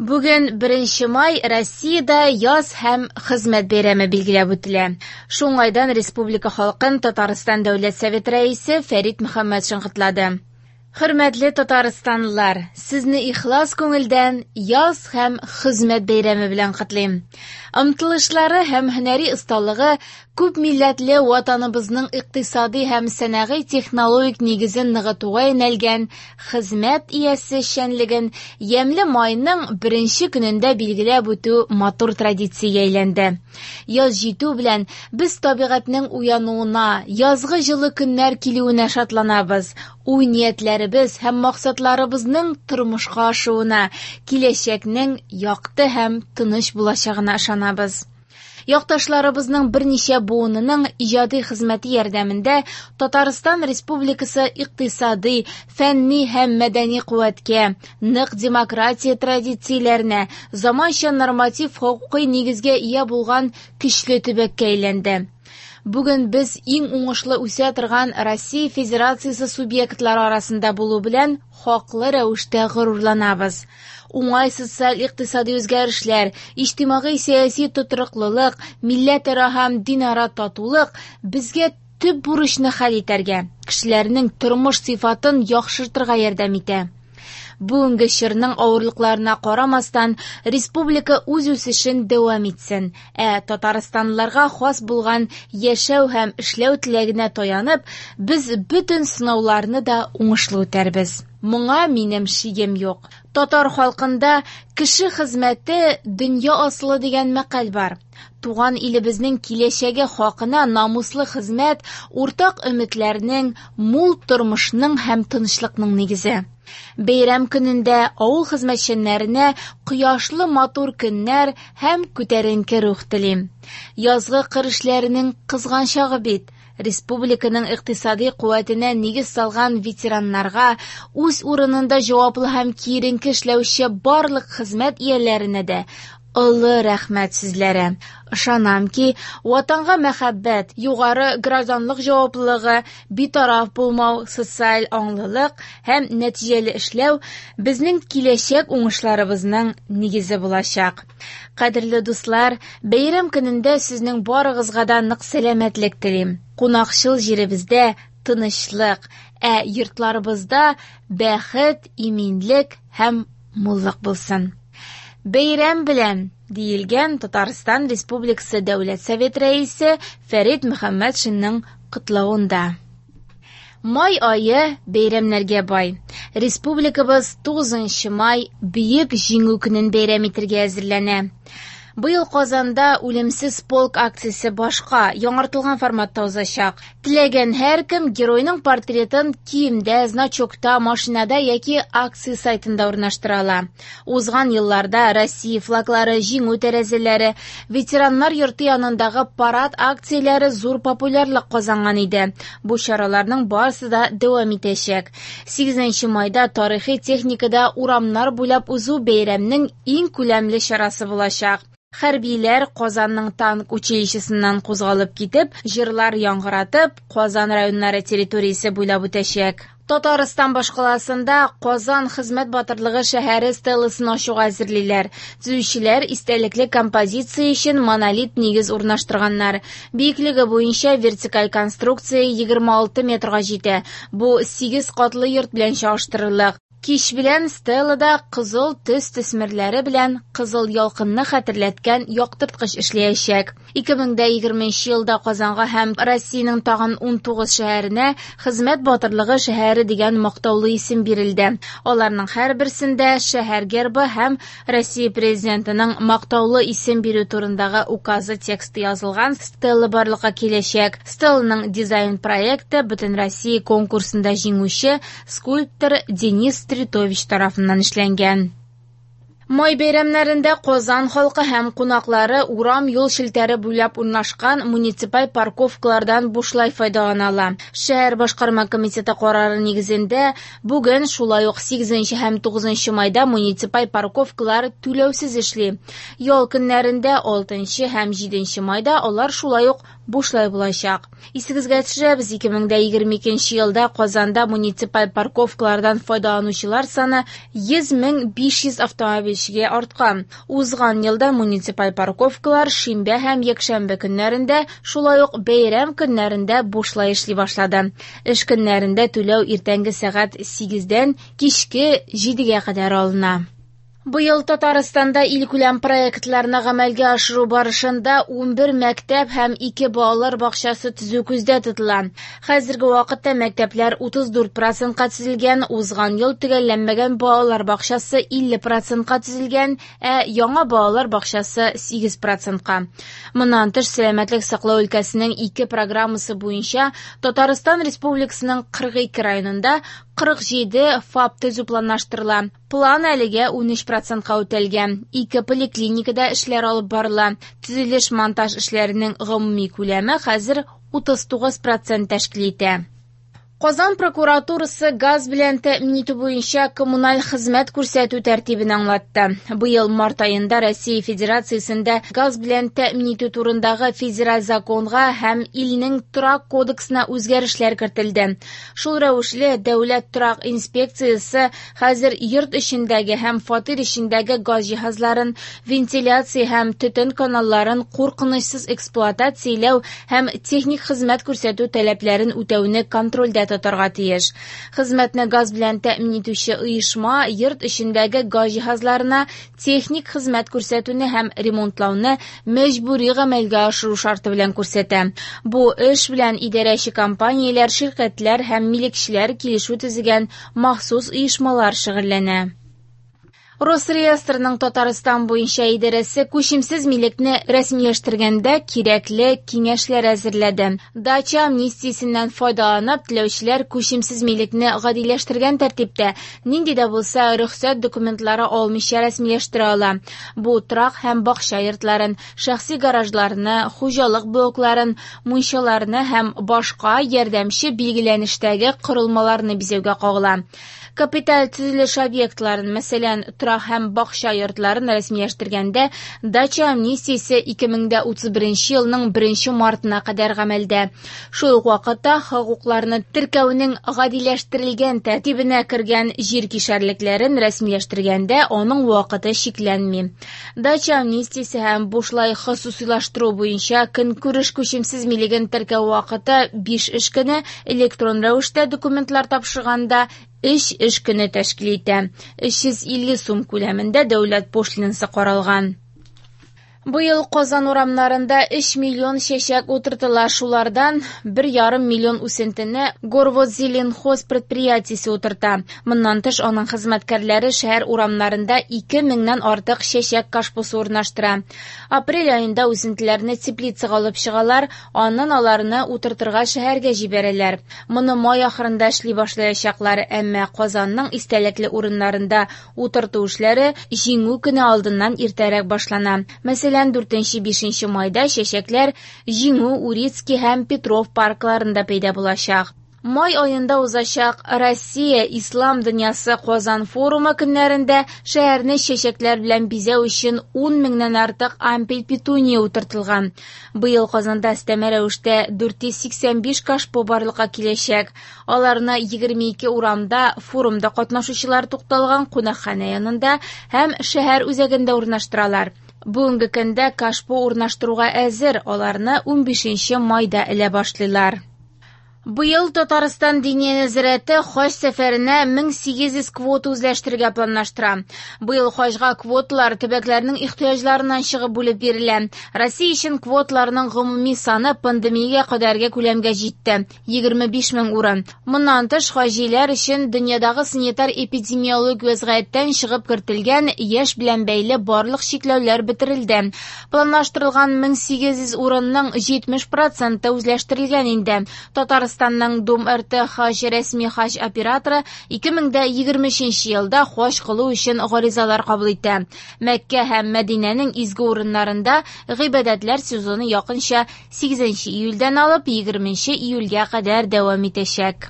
Бүген 1 май Россиядә Яз һәм хезмәт бәйрәме билгеләп үтелә. Шул уңайдан республика халкын Татарстан Дәүләт Советы Рәисе Фәрит Мөхәммәтшин котлады. Хөрмәтле татарстанлылар, сезне ихлас күңелдән Яз һәм хезмәт бәйрәме белән котлыйм. Омтылышлары һәм һөнәри осталыгы күп милләтле Ватаныбызның икътисади һәм сәнәгый технологик нигезен ныгытуга юнәлгән хезмәт иясе эшчәнлеген ямьле майның беренче көнендә билгеләп үтү матур традициягә әйләнде. Яз җитү белән без табигатьнең уянуына, язгы җылы көннәр килүенә шатланабыз, уй-ниятләребез һәм максатларыбызның тормышка ашуына, киләчәкнең якты һәм тыныч булачагына ышанабыз. Якташларыбызның берничә буынының иҗади хезмәте ярдәмендә Татарстан Республикасы икътисади, фәнни һәм мәдәни куәткә, нык демократия традицияләренә, заманча норматив хокукый нигезгә ия булган көчле төбәккә әйләнде. Бүген без иң уңышлы үсә торган Россия Федерациясе субъектлары арасында булу белән хаклы рәвештә горурланабыз. Уңай социаль-икътисади үзгәрешләр, иҗтимагый-сәяси тотрыклылык, милләтара һәм динара татулык безгә төп бурычны хәл итәргә, кешеләрнең тормыш сыйфатын яхшыртырга ярдәм итә. Бүгенге чорның авырлыкларына карамастан, республика үз үсешен дәвам итсен, ә татарстанлыларга хас булган яшәү һәм эшләү теләгенә таянып, без бөтен сынауларны да уңышлы үтәрбез. Моңа минем шигем юк. Татар халкында кеше хезмәте дөнья асылы дигән мәкаль бар. Туган илебезнең киләчәге хакына намуслы хезмәт уртак өметләрнең, мул тормышның һәм тынычлыкның нигезе. Бәйрәм көнендә авыл хезмәтчәннәренә кояшлы матур көннәр һәм күтәренке рух телим. Язгы кыр эшләренең кызган чагы бит. Республиканың икътисади куәтенә нигез салган ветераннарга, үз урынында җаваплы һәм киеренке эшләүче барлык хезмәт ияләренә дә олы рәхмәт сүзләре. Ышанам ки, Ватанга мәхәббәт, югары гражданлык җаваплылыгы, битараф булмау, социаль аңлылык һәм нәтиҗәле эшләү безнең киләчәк уңышларыбызның нигезе булачак. Кадерле дуслар, бәйрәм көнендә сезнең барыгызга да нык сәламәтлек телим. Кунакчыл җиребездә тынычлык, ә йортларыбызда бәхет, иминлек һәм муллык булсын. Бәйрәм белән, диелгән Татарстан Республикасы Дәүләт Советы Рәисе Фәрит Мөхәммәтшинның котлавында. Май ае бәйрәмнәргә бай. Республикабыз 9 май Бөек Җиңү көнен бәйрәм итәргә әзерләнә. Быел Казанда Үлемсез полк акциясе башка, яңартылган форматта узачак. Теләгән һәркем геройның портретын киемдә, значокта, машинада яки акция сайтында урнаштыра ала. Узган елларда Россия флаглары, Җиңү тәрәзәләре, ветераннар йорты янындагы парад акцияләре зур популярлык казанган иде. Бу чараларның барысы да дәвам итәчәк. 8 майда тарихи техникада урамнар буйлап узу бәйрәмнең иң күләмле чарасы булачак. Хәрбиләр Казанның танк училищесыннан кузгалып китеп, җырлар яңгыратып, Казан районнары территориясе буйлап үтәчәк. Татарстан башкаласында Казан хезмәт батырлыгы шәһәре стеласын ачуга әзерлиләр. Төзүчеләр истәлекле композиция өчен монолит нигез урнаштырганнар. Биеклеге буенча вертикаль конструкция 26 метрга җитә. Бу 8 катлы йорт белән чагыштырырлык. Кич белән стелада кызыл төс төсмерләре белән кызыл ялкынны хәтерләткән яктырткыч эшләячәк. 2020 елда Казанга һәм Россиянең тагын 19 шәһәренә Хезмәт батырлыгы шәһәре дигән мактаулы исем бирелде. Аларның һәрберсендә шәһәр гербы һәм Россия Президентының мактаулы исем бирү турындагы указы тексты язылган стела барлыкка киләчәк. Стеланың дизайн проекты Бөтенроссия конкурсында җиңүче скульптор Денис Стритович тарафыннан эшләнгән. Май бәйрәмнәрендә Казан халкы һәм кунаклары урам юл челтәре буйлап урнашкан муниципаль парковкалардан бушлай файдалана ала. Шәһәр башкарма комитеты карары нигезендә бүген шулай ук 8 һәм 9 майда муниципаль парковкалар түләүсез эшли. Ял көннәрендә 6 һәм 7 майда алар шулай ук бушлай булачак. Исегезгә төшерәбез, 2022 елда Казанда муниципаль парковкалардан файдаланучылар саны 100 500 автомобильчегә арткан. Узган елда муниципаль парковкалар шимбә һәм якшәмбе көннәрендә, шулай ук бәйрәм көннәрендә бушлай эшли башлады. Эш көннәрендә түләү иртәнге сәгать 8-дән кичке 7-гә кадәр алына. Быел Татарстанда илкүләм проектларны гамәлгә ашыру барышында 11 мәктәп һәм 2 балалар бакчасы төзү күздә тотыла. Хәзерге вакытта мәктәпләр 34%-ка төзелгән, узган ел төгәлләнмәгән балалар бакчасы 50%-ка төзелгән, ә яңа балалар бакчасы 8%-ка. Моннан тыш, сәламәтлек саклау өлкәсенең 2 программасы буенча Татарстан Республикасының 42 районында 47 ФАП төзү планлаштырыла. План әлегә 13%-ка үтәлгән. 2 поликлиникада эшләр алып барыла. Төзелеш-монтаж эшләренең гомуми күләме хәзер 39% тәшкил итә. Казан прокуратурасы газ белән тәэмин итү буенча коммуналь хезмәт күрсәтү тәртибен аңлатты. Быел март аенда Россия Федерациясендә газ белән тәэмин итү турындагы федераль законга һәм илнең торак кодексына үзгәрешләр кертелде. Шул рәвешле Дәүләт торак инспекциясе хәзер йорт эчендәге һәм фатир эчендәге газ җиһазларын, вентиляция һәм төтен каналларын куркынычсыз эксплуатацияләү һәм техник хезмәт күрсәтү таләпләрен үтәүне контрольдә тотарга тиеш. Хезмәтне газ белән тәэмин итүче оешма йорт эчендәге газ җиһазларына техник хезмәт күрсәтүне һәм ремонтлауны мәҗбүри гамәлгә ашыру шарты белән күрсәтә. Бу эш белән идарәче компанияләр, ширкәтләр һәм милекчеләр килешү төзегән махсус оешмалар шөгыльләнә. Росреестрның Татарстан буенча идарәсе күчемсез милекне рәсмиләштергәндә кирәкле киңәшләр әзерләде. Дача амнистиясеннән файдаланып, теләүчеләр күчемсез милекне гадиләштергән тәртиптә нинди дә булса рөхсәт документлары алмыйча рәсмиләштерә ала. Бу торак һәм бакча йортларын, шәхси гаражларны, хуҗалык блокларын, мунчаларны һәм башка ярдәмче билгеләнештәге корылмаларны бизәүгә кагыла. Капиталь төзелеш объектларын, мәсәлән, торак һәм бакча йортларын рәсмиләштергәндә дача амнистиясе 2031 елның 1 мартына кадәр гамәлдә. Шул ук вакытта хокукларны теркәүнең гадиләштерелгән тәртибенә кергән җир кишәрлекләрен рәсмиләштергәндә аның вакыты чикләнми. Дача амнистиясе һәм бушлай хосусыйлаштыру буенча көнкүреш күчемсез милеген теркәү вакыты 5 эш көне, электрон рәвештә документлар тапшырганда 3 эш көне тәшкил итә. 350 сум күләмендә дәүләт пошлинасы каралган. Быел Казан урамнарында 3 миллион чәчәк утыртыла. Шулардан 1,5 миллион үсентене Горводзеленхоз предприятиесе утырта. Моннан тыш, аның хезмәткәрләре шәһәр урамнарында 2000-нән артык чәчәк кашпосы урнаштыра. Апрель аенда үсентеләрне теплицага алып чыгалар, аннан аларны утыртырга шәһәргә җибәрәләр. Моны май ахырында эшли башлаячаклар, әмма Казанның истәлекле урыннарында утырту эшләре Җиңү көне алдыннан иртәрәк башлана. Мәсәлән, 4-5 майда чәчәкләр Җиңү, Урицкий һәм Петров паркларында пәйда булачак. Май аенда узачак Россия Ислам дөньясы Казан форумы көннәрендә шәһәрне чәчәкләр белән бизәү өчен 10 меңнән артык ампель петуния утыртылган. Быел Казанда өстәмә рәвештә 485 кашпо барлыкка киләчәк. Аларны 22 урамда форумда катнашучылар тукталган кунакханә янында һәм шәһәр үзәгендә урнаштыралар. Бүгенге көндә кашпо урнаштыруга әзер, аларны 15 майда элә башлыйлар. Быел Татарстан Диния нәзарәте хаҗ сәфәренә 1800 квота үзләштерергә планлаштыра. Быел хаҗга квоталар төбәкләрнең ихтыяҗларыннан чыгып бүлеп бирелә. Россия өчен квоталарның гомуми саны пандемиягә кадәрге күләмгә җитте 25 мең урын. Моннан тыш, хаҗиләр өчен дөньядагы санитар эпидемиологик вәзгыятьтән чыгып кертелгән яшь белән бәйле барлык чикләүләр бетерелде. Планлаштырылган 1800 урынның 70% үзләштерелгән инде. Татарстанның Дом РТ хаҗ рәсми хаҗ операторы 2023 елда хаҗ кылу өчен гаризалар кабул итә. Мәккә һәм Мәдинәнең изге урыннарында гыйбадәтләр сезоны якынча 8 июльдән алып 20 июльгә кадәр дәвам итәчәк.